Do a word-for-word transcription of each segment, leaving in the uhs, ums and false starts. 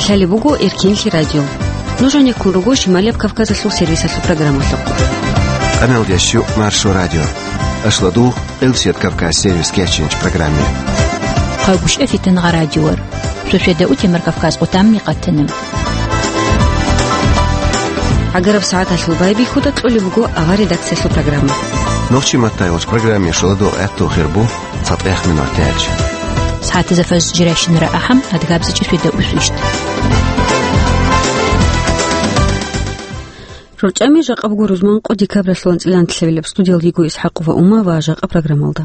Гьале буго Эркинлъи радио. Нуж гьанеккун руго Шималияб Кавказалъул сервисалъул программалъухъ. Къаналдеш Маршо радио. Ашладу Элсет Кавказ сервис кечинч программе. Хъагушев Фитангъа радиор. Суседа утемар Кавказ къутамни къатана. Агараб сагӀаталъул байбихьуда кьолеб буго авар редакциялъул программа. Нохчи маттайгъоч программе шуладу гӀатту хирбу. ЦатӀех минутач. СагӀатазда фажр жирайщинара ахӀам, адгабзичӀи светда усвищт. РорчӀами жакъа буго рузман къо декабралъул анцӀила анлъабилеб. Студиялдиго Исхакова Ума ва жакъа программалда.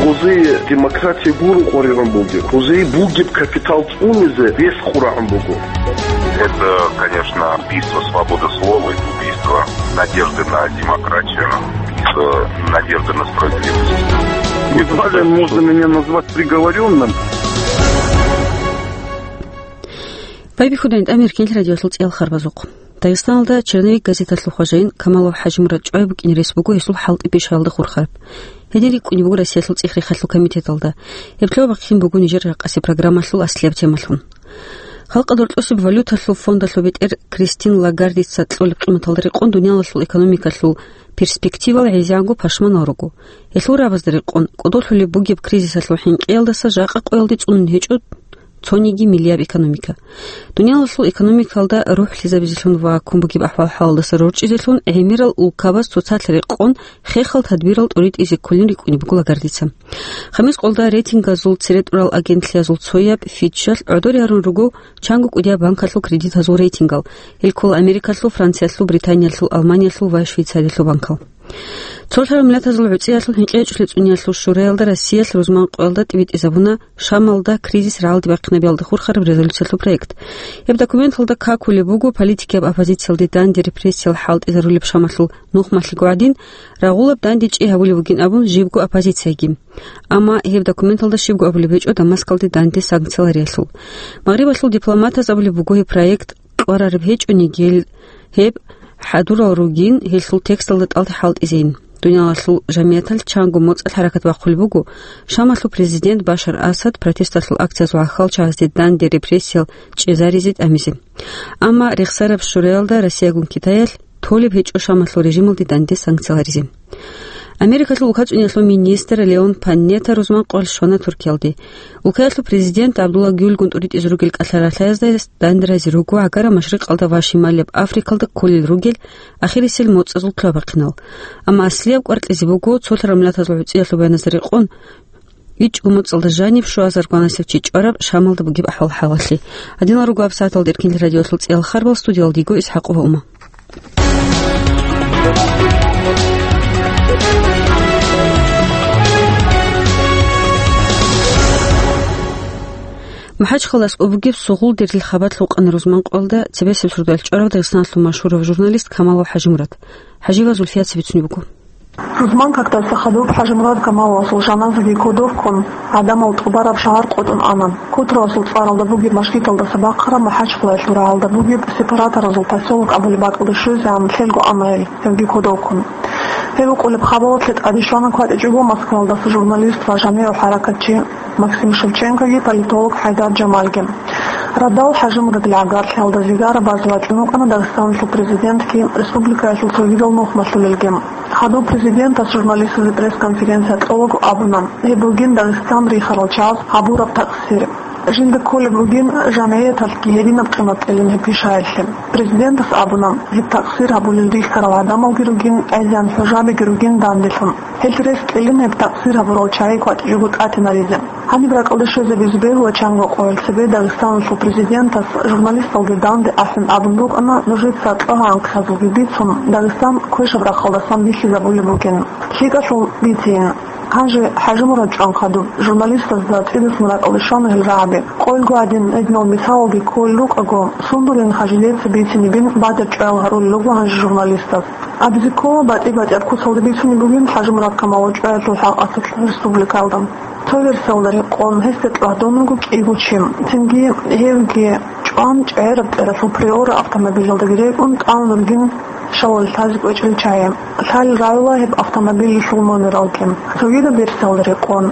Гъузие демократия гуро къваригӀун бугеб. Гъузие бугеб капитал цӀунизе рес къурагӀун буго. Это, конечно, убийство свободы слова, это убийство надежды на демократию, убийство надежды на справедливость. Едва ли можно меня назвать приговорённым. Байбихьуда гьанже Эркинлъи радиоялъул цӀиял харбазухъ. Дагъистаналда «Черновик» газеталъул хважаин Камалов ХӀажимурад чӀвай букӀине рес буго гьесул хӀалтӀи-пишаялда хурхараб. Гьедин рикӀкӀунеб буго Россиялъул цӀихрихъалъул комитеталда. Гьеб лъугьа-бахъин буго нижер ракъаси программалъул аслияб темалъун. Халкъалда рорчӀосеб валюталъул фондалъул бетӀер Кристин Лагардица кьолеб къиматалда рекъон дуниялалъул экономикалъул перспективал гӀезегӀанго пашманал руго. Гьелъул рагӀабазда рекъон, кӀодолъулеб бугеб кризисалъул хӀинкъиялдаса жакъа къоялде цӀунун гьечӀо цониги миллияб экономика. Дуниялалъул экономикалда рухӀлъизабизелъун ва ккун бугеб ахӀвал-хӀалалдаса рорчӀизелъун гӀемерал улкабаз цоцалъ рекъон хехал тадбирал тӀуритӀизе кколин рикӀкӀунеб буго Лагардица. Хамис къолда рейтингазул цере тӀурал агентлъиязул цояб Фитчалъ гӀодоре гьарун руго чанго кӀудияб банкалъул кредитазул рейтингал, гьел ккола Америкалъул, Франциялъул, Британиялъул, Алманиялъул ва Швейцариялъул банкал. Цолъарал Миллатазул ГӀуцӀиялъул ХӀинкъичӀлъи цӀунеялъул шураялда Россиялъ рузман къоялда тӀибитӀизабуна Шамалда кризис рагӀалде бахъинабиялда хурхараб резолюциялъул проект. Гьеб документалда какулеб буго политикияб оппозициялде данде репрессиял хӀалтӀизарулеб Шамалъул нухмалъего гӀадин, рагъулаб данде чӀей гьабулеб бугин абун жибго оппозицияги. Амма гьеб документалда щибго абулеб гьечӀо Дамаскалде данде санкциялариялъул. Магърибалъул дипломатаз абулеб буго гьеб проект кьварараб гьечӀониги, гьел гьеб хӀадурал ругин, гьелъул тексталда тӀалде хӀалтӀизейин. Дуниялалъул жамигӀаталъ чанго моцӀалъ хӀаракат бахъулеб буго Шамалъул президент Башар Асад протесталъул акциязул гӀахьалчагӀазде данде репрессиял чӀезаризе тӀамизе. Амма рехсараб шураялда Россиягун Китаялъ толеб гьечӀо Шамалъул режималде данде санкцияларизе. Америкалъул улкацӀуниялъул министр Леон Панетта рузман къоялъ щвана Туркиялде. Улкаялъул президент ГӀабдулла Гюлгун тӀуритӀизе ругел кӀалъа-ралъаязда данде разе руго гӀагара машрикъалда ва шималияб Африкалда кколел ругел ахирисел моцӀазул лъугьа-бахъинал. Амма аслияб кӀвар кьезе буго цолъарал Миллатазул ГӀуцӀиялъул баяназда рекъон, ичӀго моцӀалда жаниб щуазар гванасев чи чӀвараб Шамалда бугеб ахӀвал-хӀалалъе. Гьадинал руго гьаб сагӀаталда Эркинлъи радиоялъул цӀиял харбал, студиялдиго Исхакова Ума. МахӀачхъалаялъ бугеб Сугъул дерил хабалъ вукъана рузман къоялда цебесеб сордоялъ чӀварав Дагъистаналъул машгьурав журналист Камалов ХӀажимурад. ХӀажиева Зульфият цебе цӀунеб буго. Рузман кактаса хадуб ХӀажимурад Камаловасул жаназаги кодов ккун, гӀадамал тӀубараб шагьар къотӀун ана. Котравасул цӀаралда бугеб мажгиталдаса бахъараб МахӀачхъалаялъул рагӀалда бугеб Сепараторазул посёлок абулеб бакӀалде щвезегӀан лъелго ана гьел, гьевги кодов ккун. Гьев вукъулеб хабалалъе тӀаде щвана кватӀичӀого Москваялдаса журналист ва жамигӀ хӀаракатчи Максим Шевченкоги политолог ХӀайдар Жамалги. Радал ХӀажимурадил гӀагарлъиялда зигара базе вачӀун вукӀана Дагъистаналъул президентги республикаялъул цогидал нухмалъулелги. Хадуб президентас журналистазе пресс-конференция кьолаго абуна, гьеб бугин Дагъистан рихарал чагӀаз гьабураб такъсир. Жинда кколеб бугин жамгӀияталъги гьединаб къимат кьелин гьеб пишаялъе. Президентас абуна, гьеб такъсир гьабулел рихьарал гӀадамалги ругин, гӀезегӀан хӀужабиги ругин данделъун. Гьел рес кьелин гьеб такъсир гьабурал чагӀи кватӀичӀого тӀатинаризе. Гьаниб ракӀалде щвезабизе бегьула чанго къоялъ цебе Дагъистаналъул президентас журналисталги данде ахӀун абун букӀана, нужеца лъугьа-анкьазулги бицун, Дагъистан квешаб рахъалдасан бихьизабулеб бугин. ЛъикӀалъул бицин. Гьанже ХӀажимурад чӀван хадуб, журналистазда цӀидасан ракӀалде щвана гьел рагӀаби. Къойилго гӀадин, гьединал мисалалги кколел рукӀаго, Сундулин Хажилица бицинебин батӀи-батӀиял чӀваял гьарулел руго гьанже журналистаз. Абизе ккола, батӀи-батӀияб куцалда бицунеб бугин ХӀажимурад Камалов чӀваялъул хӀакъалъулъ республикалда. Цо версиялда рекъон, гьесда тӀадван вуго кӀиго чи. Цинги гьевги чӀван, ЧӀегӀераб тӀералъул Приора автомобилалдаги рекӀун, тӀамун ругин щалалъазе кӀвечӀел чагӀи. Лъалел рагӀула гьеб автомобилалъул номералги. Цогидаб версиялда рекъон,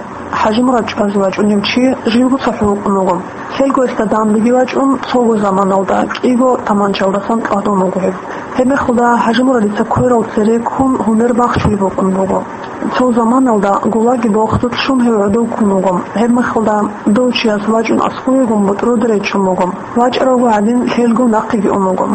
ХӀажимурад чӀвазе вачӀунев чи живго цохӀо вукӀун вуго. Лъелго гьесда дандеги вачӀун, цого заманалда кӀиго таманчаялдасан тӀадун вуго гьеб. Гьебмехалда ХӀажимурадица кверал цере ккун гьумер бахчулеб букӀун буго. Цо заманалда ГУЛАГе бохъдулъ щун гьев гӀодов ккун вуго. Гьебмехалда дов чияс вачӀун аскӀовегун бутӀруде речун буго. ВачӀарав гӀадин лъелго нахъеги ун вуго.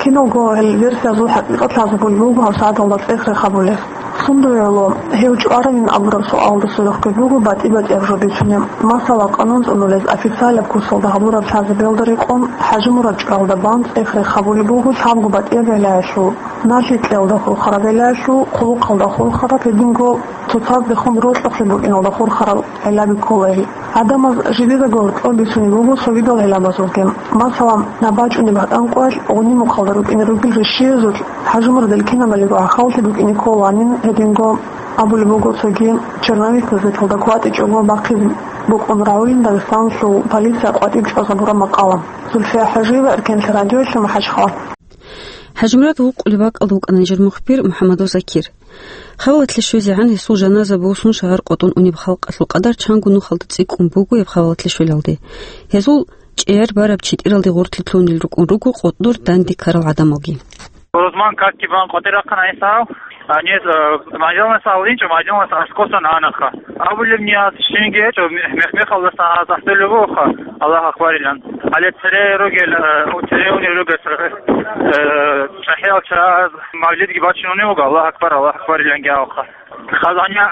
Киналго гьел версиязул хӀакъикъат лъазабулеб буго гьабсагӀаталда цӀех-рех гьабулес. Сундуе гӀоло, гьев чӀваравин абураб суалда сверухъги буго батӀи-батӀияб жо бицунеб. Масала, къанун цӀунулез официалаб курсалда гьабураб лъазабиялда рекъон, ХӀажимурад чӀваялда бан цӀех-рех гьабулеб буго лъабго батӀияб гӀиллаялъул: налъи кьеялда хурхараб гӀиллаялъул, хъулухъалда хурхараб, гьединго цоцаздехун рокьухълъи букӀиналда хурхарал гӀиллаби ккола гьел. Гьадамаз жидедаго гьоркьоб бицунеб буго цогидал гӀиллабазулги. Масала, наб бачӀунеб гьатӀан къоялъ гъуни-мухъалда рукӀине ругел рищиязулъ ХӀажимурадил кинабалиго гӀахьаллъи букӀине кколанин, гьединго абулеб буго цоги черновик газеталда кватӀичӀого бахъизе букӀун рагӀулин Дагъистаналъул полиция къватӀиб чӀвазабураб макъала. Зульфия ХӀажиева, Эркенлъи радиоялъ, МахӀачхъала. ХӀажимурад вукъулеб бакӀалда вукӀана нижер мухбир МухӀаммадов Закир. Хавалатлъи щвезегӀан гьесул жаназа босун шагьар къотӀун унеб халкъалъул къадар чанго нухалда цӀикӀкӀун буго гьеб хавалатлъи щвелалде. Гьезул чӀеяр бараб читӀиралде гъорлъи лъунел рукӀун руго къотӀнур данде ккарал гӀадамалги. Рузман катги бан къватӀир рахъана гьесда гьав. Гьанир, э, мажалнас гьавлинчӀо, мажалнас аскӀосан анаха. Абулеб нияз щинги гьечӀо, мех-мехалдасан гьаз ахӀдолеб бугоха, Аллагь акбарилан. Гьале цере ругел, э, цере унел ругел, э, чӀахӀиял чагӀаз мавлидги бачун унев вуго, Аллагь акбар, Аллагь акбариланги абуха. Хазания,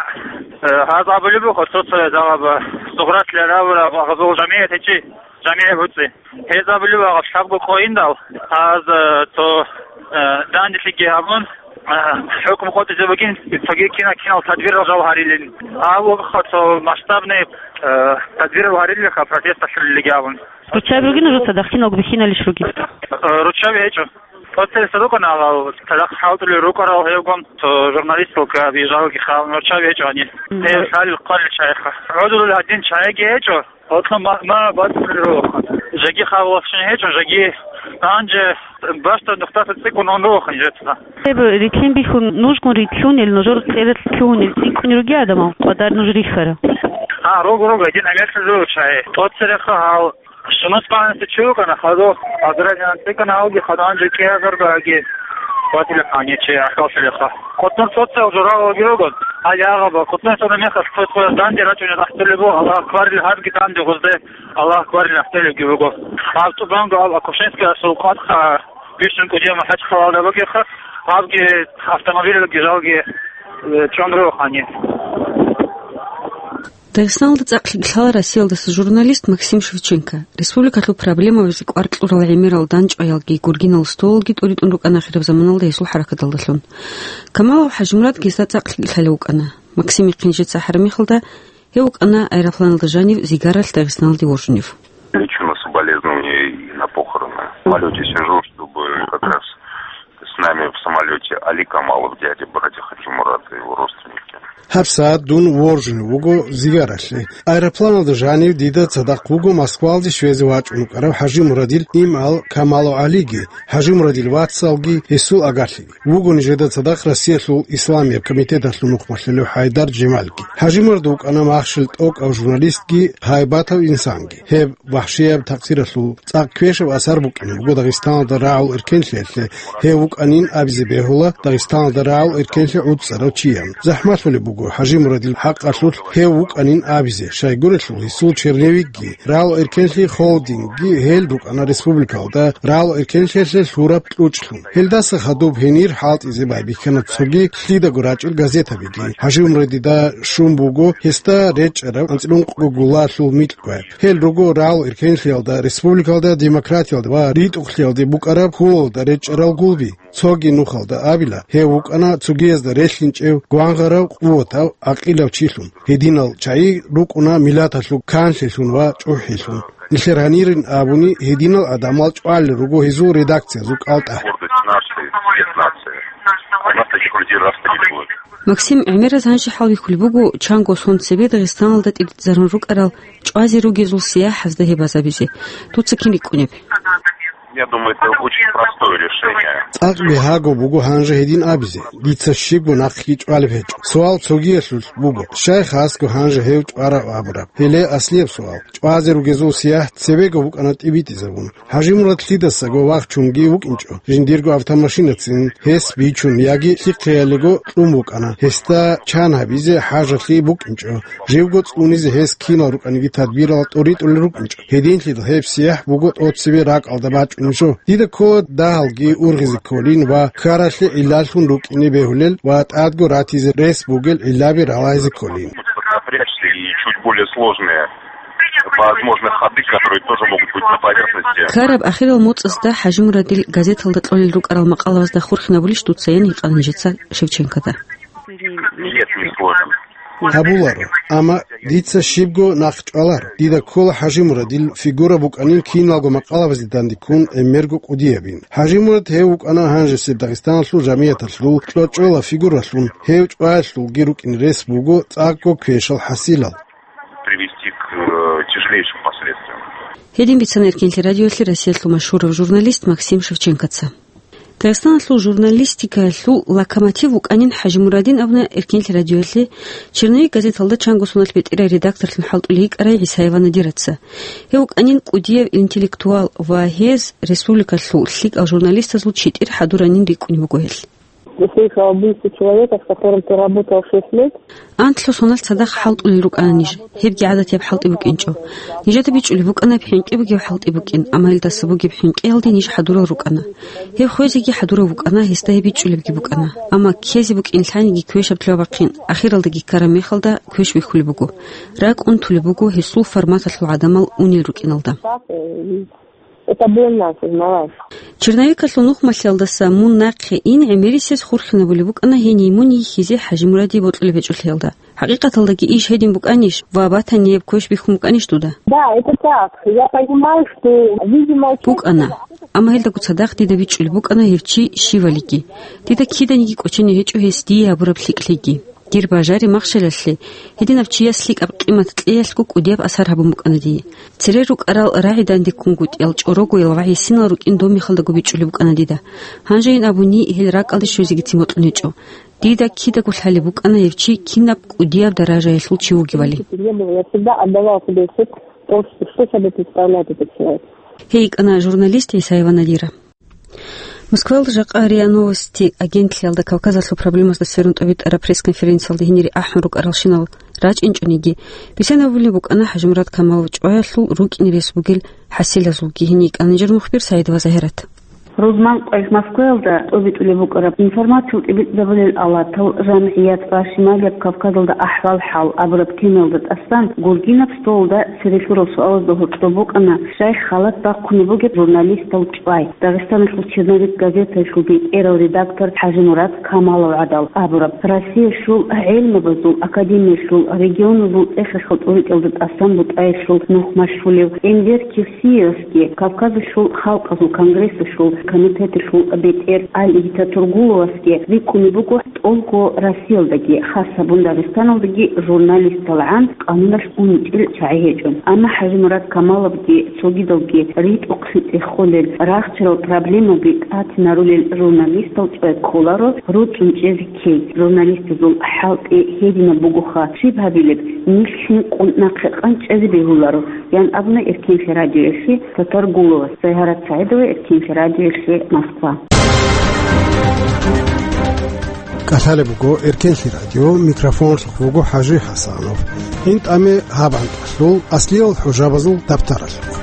э, гьаз абулеб буго, цо-цо загьаба, сугъратлъи рабураб, гьазул жамигӀат гьечӀи, жамигӀат буцӀи. Гьез абулеб буго, лъабго къояндал, гьаз, э, цо, э, данделъиги гьабун, э, хӀукму къотӀизе бугин, цоги кина-кинал тадбирал жал гьарилин. Гьав вугоха цо масштабный, э, тадбирал гьарилиха, протест лъалилиги абун. Руччаби ругин нужеца, дагъ киналго бихьиналищ ругин? Э, руччаби гьечӀо. ТӀоцересда рукӀана гьал, цадахъ хӀалтӀулел рукӀарал гьевгун, цо журналисталги абижалги хал нурча гьечӀо гьанир. Мгм. Гьев лъалел хъвалел чагӀиха. ГӀодулел гьадин чагӀиги гьечӀо, гьоркьоб ма, ма бацӀцӀулел руго. Жеги хавалащин гьечӀо, жеги гьанже бащдаб нухдаса цӀикӀкӀун ун руго нижеца. Гьеб рилълъин бихьун нужгун рилълъунел, нужер цӀералъ лъугьунел цӀикӀкӀунел ругел гӀадамал къватӀар нуж рихьара. А, руго, руго, гьедин гӀемерлъизе руго чагӀи. ТӀоцереха гьал. Шамас багьанасда чи вукӀана хадуб, Азраил анцӀикӀана, гьавги хадуб гьанже кӀиазарго аги ватилахъани чи ахӀваллъилаха. КъотӀнур цоцал журагӀалги руго, гьал ягъаба, къотӀнур цо мехалъ цо-цояз данде рачӀунел ахӀдолеб буго, Аллагь акбарил гьабги данде гъузде, Аллагь акбарил ахӀдолебги буго. Гьаб тӀубанго гьаб Акушинскиялъул къватӀха бищун кӀудияв МахӀачхъалалда бугеха, гьабги автомобилалги жалги, э, чӀун руго гьаниб. Дагъистаналда цӀакълъи лъала Россиялдаса журналист Максим Шевченко. Республикалъул проблемабазе кӀвар кьурал гӀемерал данчӀваялги гургинал столалги тӀуритӀун рукӀана ахираб заманалда гьесул хӀаракаталдалъун. Камалов ХӀажимурад гьесда цӀакълъи лъалев вукӀана. Максимихъе нижеца ахӀараб мехалда, гьев вукӀана аэропланалда жанив зигаралъ Дагъистаналде воржунев. Лично соболезнования и на похороны. В самолёте сижу, чтобы как раз с нами в самолёте Али Камалов, дядя, братья Хаджимурата, его родственники. ГьабсагӀат дун воржунев вуго зигаралъе. Аэропланалда жанив дида цадахъ вуго Москвалде щвезе вачӀун вукӀарав ХӀажимурадил имгӀал Камалов ГӀалиги, ХӀажимурадил вацалги, гьесул агарлъиги. Вуго нижеда цадахъ Россиялъул исламияб комитеталъул мухъмалъулев ХӀайдар Жемалги. ХӀажимурад вукӀана махщел тӀокӀав журналистги, гьайбатав инсанги. Гьеб вахӀшияб такъсиралъул цӀакъ квешаб асар букӀине буго Дагъистаналда рагӀул эркенлъиялъе, гьев вукӀанин абизе бегьула Дагъистаналда рагӀул эркенлъи гӀуцӀарав чиян. ЗахӀмалъулеб буго ХӀажимурадил хӀакъалъулъ гьев вукӀанин абизе, щайгурелъул гьесул черновикги, рагӀул эркенлъи холдингги гьел рукӀана республикалда рагӀул эркенлъиялъе лъураб кьучӀлъун. Гьелдаса хадуб гьенир хӀалтӀизе байбихьана цоги лъидаго рачӀел газетабиги. ХӀажимурадида щун буго гьесда речӀчӀараб анцӀила ункъго гулалъул микьгояб. Гьел руго рагӀул эркенлъиялда, республикалда, демократиялда ва ритӀухълъиялде букӀараб хьулалда речӀчӀарал гулби. Цоги нухалда абила, гьев вукӀана цогиязда релълъинчӀев, гвангъарав, къуватав, гӀакъилав чилъун. Гьединал чагӀи рукӀуна миллаталъул канлъилъун ва чӀухӀилъун. Нилъер гьанирин абуни, гьединал гӀадамал чӀвалел руго гьезул редакциязул кӀалтӀа. Гордость нации, цвет нации. У нас таких людей раз-три не бывает. Максим гӀемераз гьанже хӀалбихьулеб буго, чанго сон цебе Дагъистаналда тӀибитӀизарун рукӀарал чӀвазе ругезул сияхӀазда гьеб базабизе. Дуца кин рикӀкӀунеб? Я думаю, это очень простое решение. ЦӀакъ бигьаго буго гьанже гьедин абизе, дица щибго нахъги чӀвалеб гьечӀо. Суал цогиялъулъ буго, щай хасго гьанже гьев чӀварав абураб? Гьеле аслияб суал. ЧӀвазе ругезул сияхӀ цебего букӀана тӀибитӀизабун. ХӀажимурад лъидасаго вахчунги вукӀинчӀо, жиндирго автомашинацин гьес бичун яги лъихъеялиго кьун букӀана, гьесда чан гьабизе хӀажалъи букӀинчӀо, живго цӀунизе гьес кинал рукӀаниги тадбирал тӀуритӀулел рукӀинчӀо. Гьединлъидал гьеб сияхӀ буго тӀоцебе ракӀалда бачӀунеб жо. Дида ккола дагьалги ургъизе кколин ва ккаралъе гӀиллаллъун рукӀине бегьулел ва тӀадго ратизе рес бугел гӀиллаби ралагьизе кколин. Напрячься и чуть более сложные, возможно, ходы, которые тоже могут быть на поверхности. Ккараб ахирал моцӀазда ХӀажимурадил газеталда кьолел рукӀарал макъалабазда хурхинабулищ дуца, ян гьикъана нижеца Шевченкода. Нет, не сложно. Гьабуларо, амма дица щибго нахъ чӀваларо. Дида ккола ХӀажимурадил фигура букӀанин киналго макъалабазде дандеккун гӀемерго кӀудиябин. ХӀажимурад гьев вукӀана гьанжесеб Дагъистаналъул жамигӀаталъул кьочӀола фигуралъун, гьев чӀваялъулги рукӀин рес буго цӀакъго квешал хӀасилал. Привести к, э, тяжелейшим последствиям. Гьедин бицана Эркенлъи радиоялъе Россиялъул машгьурав журналист Максим Шевченкоца. Дагъистаналъул журналистикаялъул локомотив вукӀанин ХӀажимурадин абуна Эркенлъи радиоялъе, «Черновик» газеталда чанго соналъ бетӀерай редакторлъун хӀалтӀулей йикӀарай ГӀисаева Надираца. Гьев вукӀанин кӀудияв интеллектуал ва гьез республикалъул лъикӀал журналистазул читӀир хӀадуранин рикӀкӀунеб буго гьелъ. Услышал убийство человека, с которым ты работал шесть лет. Анлъго соналъ цадахъ хӀалтӀулел рукӀана ниж. Гьебги гӀадатияб хӀалтӀи букӀинчӀо. Нижеда бичӀчӀулеб букӀана гьеб хӀинкъи бугеб хӀалтӀи букӀин, амма гьелдаса бугеб хӀинкъиялде ниж хӀадурал рукӀана. Гьеб хвезеги хӀадурав вукӀана, гьесда гьеб бичӀчӀулебги букӀана. Амма ккезе букӀин лъаниги квешаб лъугьа-бахъин, ахиралдаги ккараб мехалда квеш бихьулеб буго. РакӀ унтулеб буго гьесул форматалъул гӀадамал унел рукӀиналда. Это больно осознавать. Черновикалъул нухмалъиялдаса мун нахъе ин гӀемерисез хурхинабулеб букӀана гьение мун йихьизе ХӀажимураде бокьулеб гьечӀолъиялда. ХӀакъикъаталдаги иш гьедин букӀанищ ва батанияб квеш бихьун букӀанищ дуда? Да, это так. Я понимаю, что, видимо, букӀана. Амма гьелдаго цадахъ дида бичӀчӀулеб букӀана гьев чи щивалиги. Дида киданиги кӀочене гьечӀо гьес дие гьабураб лъикӀлъиги. Дир бажари-махщелалъе гьединаб чияс лъикӀаб къимат кьеялъго кӀудияб асар гьабун букӀана дие. Цере рукӀарал рагӀи дандеккунгутӀиял чӀорогоял ва гӀисинал рукӀин доб мехалдаго бичӀчӀулеб букӀана дида. Гьанжейин абуни, гьел ракӀалде щвезегицин бокьун гьечӀо. Дида кидаго лъалеб букӀана гьев чи кинаб кӀудияб даражаялъул чи вугевали. Я всегда отдавал себе отчёт в том, что, что собой представляет этот человек. Гьей йикӀана журналист ГӀисаева Надира. Москваялда жакъа РИА Новости агентлъиялда Кавказалъул проблемазда сверун тӀобитӀараб пресс-конференциялда гьенире ахӀун рукӀаралщинал рачӀинчӀониги, бицанабулеб букӀана ХӀажимурад Камалов чӀваялъул рукӀине рес бугел хӀасилазулги. Гьенир йикӀана нижер мухбир Саидова Загьират. Рузман къвайх Москваялда тӀобитӀулеб букӀараб информациял тӀибитӀзабулел алатал, жамгӀият ва Шималияб Кавказалда ахӀвал-хӀал абураб темаялда тӀасан гургинаб столалда цере лъурал суалазда гьоркьоб букӀана шайх халат бахъунеб бугеб журналистал чӀвай, Дагъистаналъул «Черновик» газетаялъул бетӀерав редактор ХӀажимурад Камалов гӀадал абураб, Россиялъул гӀелмабазул академиялъул регионалъул цӀехалъул тӀоритӀиялда тӀасан бутӀаялъул нух машгьулев Энвер Кирсиевасги, Кавказалъул халкъазул конгрессалъул комитеталъул бетӀер Алиги Татургуловасги рикӀкӀунеб буго тӀолго Россиялдаги, хас гьабун Дагъистаналдаги журналисталгӀан къануналъ унитӀил чагӀи гьечӀо. Амма ХӀажимурад Камаловги цогидалги ритӀухълъи цӀехолел, рахчарал проблемаби тӀатинарулел журналистал чӀвай кколаро руцӀцӀун чӀезе ккей. Журналистазул хӀалтӀи гьединаб бугоха, щиб гьабилеб, нилъ хӀинкъун нахъе къанчӀазе бегьуларо, ян абуна Эркенлъи радиоялъе Татаргуловас. Загьарат Саидова, Эркенлъи радиоялъе, Москва. КӀалъалеб буго Эркенлъи радио, микрофонлъухъ вуго ХӀажи ХӀасанов. ГьинтӀаме гьаб анкьалъул аслиял хӀужабазул дабтаралъухъ.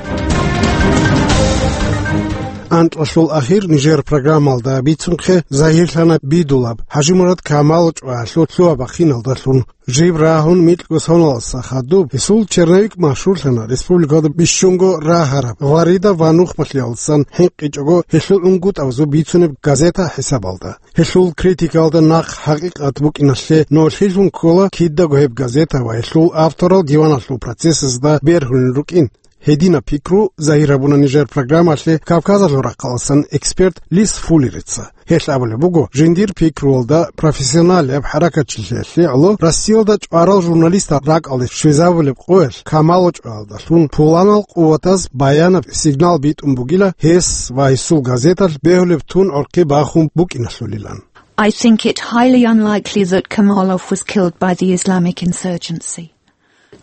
Анкьалъул ахир нижер программалда бицунхъе загьирлъана бидулаб ХӀажимурад Камал чӀваялъул лъугьа-бахъиналдалъун. Жиб рагьун микьго соналдаса хадуб, гьесул черновик машгьурлъана республикалда бищунго рагьараб Флорида ва нухмалъиялдасан хӀинкъичӀого гьелъул унгутӀабазул бицунеб газета хӀисабалда. Гьелъул критикалда нахъ хӀакъикъат букӀиналъе нолъилъун ккола кидаго гьеб газета ва гьелъул авторал диваналъул процессазда бергьулел рукӀин. Гьединаб пикру загьир гьабуна нижер программалъе Кавказалъул рахъаласан эксперт Лис Фуллерица. Гьелъ абулеб буго, жиндир пикруялда профессионалияб хӀаракатчилъиялъе гӀоло Россиялда чӀварал журналистал ракӀалде щвезабулеб къоялъ Камало чӀваялдалъун пуланал къуватаз баянаб сигнал битӀун бугила гьес ва гьесул газеталъ бегьулеб тун гӀорхъи бахун букӀиналъулилан. I think it highly unlikely that Kamalov was killed by the Islamic insurgency.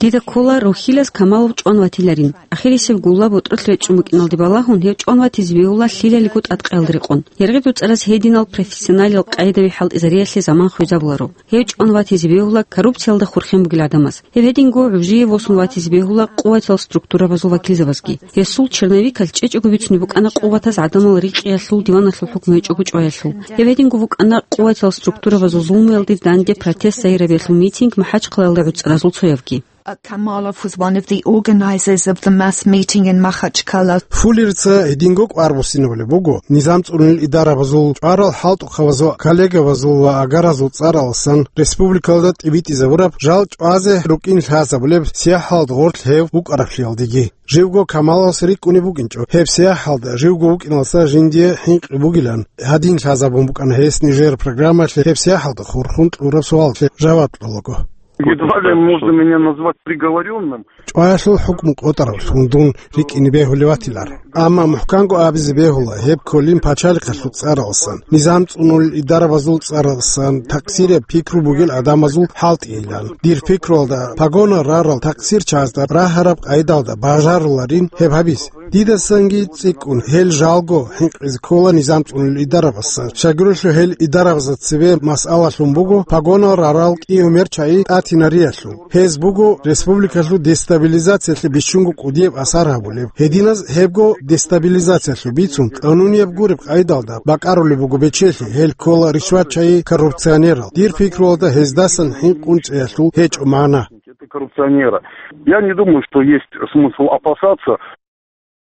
Дида ккола, рохьилаз Камалов чӀван ватиларин. Ахирисеб гулла ботӀролъ речӀчӀун букӀиналде балагьун, гьев чӀван ватизе бегьула лъилалиго тӀадкъаялда рекъон. Гьергъи дуцӀараз гьединал профессионалиял къайдабихьал изариялъе заман хвезабуларо. Гьев чӀван ватизе бегьула коррупциялда хурхен бугел гӀадамаз. Гьев гьединго гӀужие восун ватизе бегьула къуватал структурабазул вакилзабазги. Гьесул черновикалъ чӀечӀого бицунеб букӀана къуватаз гӀадамал рикъиялъул диваналъул хӀукму гьечӀого чӀваялъул. Гьев гьединго букӀана къуватал структурабазул зулмуялде данде протест загьирабиялъул митинг МахӀачхъалаялда гӀуцӀаразул цоябги. Kamalov was one of the organizers of the mass meeting in Makhachkala. Фуллерица гьединго кӀвар буссинабулеб буго, низам цӀунулел идарабазул, чӀварал хӀалтӀухъабазул, коллегабазул ва агаразул цӀараласан республикалда тӀибитӀизабураб жал чӀвазе рукӀин лъазабулеб сияхӀалда гъорлъ гьев вукӀараблъиялдеги. Живго Камаловас рикӀкӀунеб букӀинчӀо, гьеб сияхӀалда живго вукӀиналса жиндие хӀинкъи бугилан, гьадин лъазабун букӀана гьес нижер программалъе гьеб сияхӀалда хурхун кьураб суалалъе жаваб кьолаго. Едва ли можно меня назвать приговорённым. ЧӀваялъул хӀукму къотӀаравлъун дун рикӀкӀине бегьулев ватилар. Амма мухӀканго абизе бегьула, гьеб кколин пачалихъалъул цӀараласан, низам цӀунулел идарабазул цӀараласан, такъсирияб пикру бугел гӀадамазул хӀалтӀийилан. Дир пикруялда, погона рарал такъсирчазда рагьараб къайдалда бажаруларин гьеб гьабиз. Дидасанги цӀикӀкӀун гьел жалго хӀинкъизе ккола низам цӀунулел идарабасан. Щайгурелъул гьел идарабазда цебе масъалалъун буго погонал рарал кӀиго мерчаи тӀатинариялъул. Гьез буго республикалъул дестабилизациялъе бищунго кӀудияб асар гьабулеб. Гьединаз гьебго дестабилизациялъул бицун, къанунияб гуреб къайдалда бакӀарулеб буго бечелъи, гьел ккола ришватчаи коррупционерал. Дир пикруялда гьездасан хӀинкъун цӀеялъул гьечӀо магӀна. Это коррупционера. Я не думаю, что есть смысл опасаться.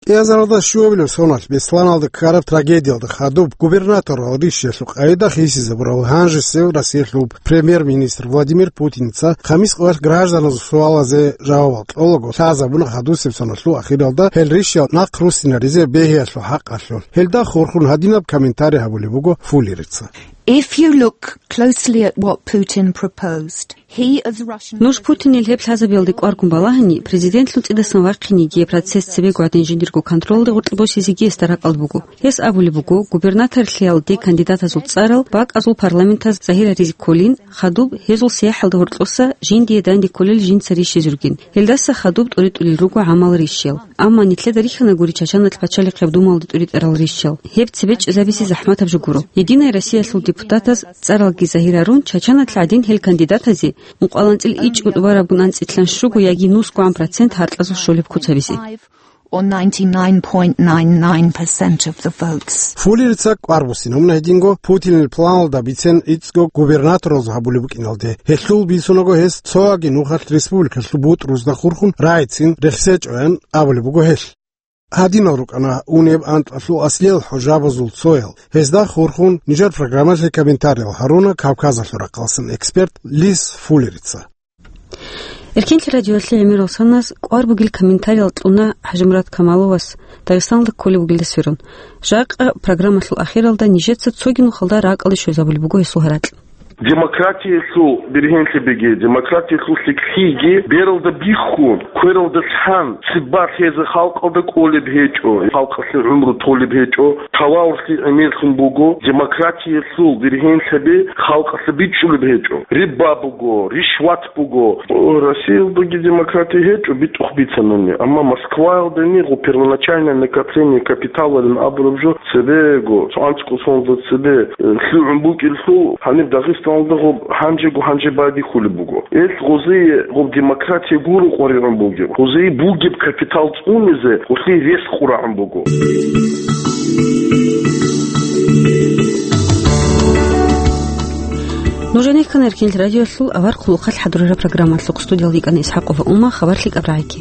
КӀиазаралда щуабилеб соналъ Бесланалда ккараб трагедиялда хадуб губернаторал ришиялъул къайда хисизабурав гьанжесев Россиялъул премьер-министр Владимир Путинца хамис къоялъ гражданазул суалазе жавабал кьолаго лъазабуна хадусеб соналъул ахиралда гьел ришиял нахъ руссинаризе бегьиялъул хӀакъалъулъ. Гьелда хурхун гьадинаб комментарий гьабулеб буго Фуллерица. If you look closely at what Putin proposed, he, as Russian Нуж Путинил гьеб лъазабиялде кӀваргун балагьани, президентлъун цӀидасан вахъинеги процесс цебего гӀадин жиндирго контролде гъоркье босизеги гьесда ракӀалда буго. Гьес абулеб буго, губернаторлъиялде кандидатазул цӀарал бакӀазул парламентаз загьир гьаризе кколин, хадуб гьезул сияхӀалда гьоркьоса жиндие данде кколел жинца рищизе ругин. Гьелдаса хадуб тӀуритӀулел руго гӀамал рищел. Амма нилъеда рихьана гури Чачаналъ пачалихъеб думалде тӀуритӀарал рищел. Гьеб цебе чӀезабизе захӀматаб жо гуро. Единая Россиялъул депутатаз цӀаралги загьир гьарун, Чачаналъ гӀадин гьел кандидатазе мукъаланцӀил ичӀго тӀубарабгун анцӀилъан щуго яги нусгогӀан процент гьаркьазул щолеб куцабизе. Or ninety-nine point nine nine percent of the votes. Фуллерица кӀвар буссинабуна гьединго Путинил планалда бицен иццго губернаторалзул гьабулеб букӀиналде. Гьелъул бицунаго гьес цояги нухалъ республикалъул бутӀрузда хурхун рагӀицин рехсечӀоян абулеб буго гьелъ. Гьадинал рукӀана унеб анкьалъул аслиял хӀужабазул цоял. Гьезда хурхун нижер программалъе комментариял гьаруна Кавказалъул рахъаласан эксперт Лис Фуллерица. Эркенлъи радиоялъе гӀемерал санас кӀвар бугел комментариял кьуна ХӀажимурад Камаловас Дагъистаналда кколеб бугелда сверун. Жакъа программалъул ахиралда нижеца цоги нухалда ракӀалде щвезабулеб буго гьесул гьаракь. Демократиялъул бергьенлъабиги, демократиялъул лъикӀлъиги бералда бихьун, квералда лъан, цебе лъезе халкъалда кӀолеб гьечӀо, халкъалъе гӀумру толеб гьечӀо, таваллъи гӀемерлъун буго, демократиялъул бергьенлъаби халкъалъе бичӀчӀулеб гьечӀо. Риба буго, ришват буго. О, Россиялдаги демократия гьечӀо, битӀухъ бицанани. Амма Москваялдани гъо первоначальное накопление капиталалин абураб жо цебего, цо анцӀго соналда цебе, э, лъугӀун букӀиналъул гьаниб Дагъистаналда гъоб гьанжего гьанже байдихьулеб буго. Ил гъозие гъоб демократия гуро къваригӀун бугеб. Гъозие бугеб капитал цӀунизе гъолъие рес къурагӀун буго. Нуж гьенеккана Эркенлъи радиоялъул авар хъулухъалъ хӀадурараб программалъухъ. Студиялда йикӀана ИсхӀакъова Ума, хабар лъикӀаб рагӀиги.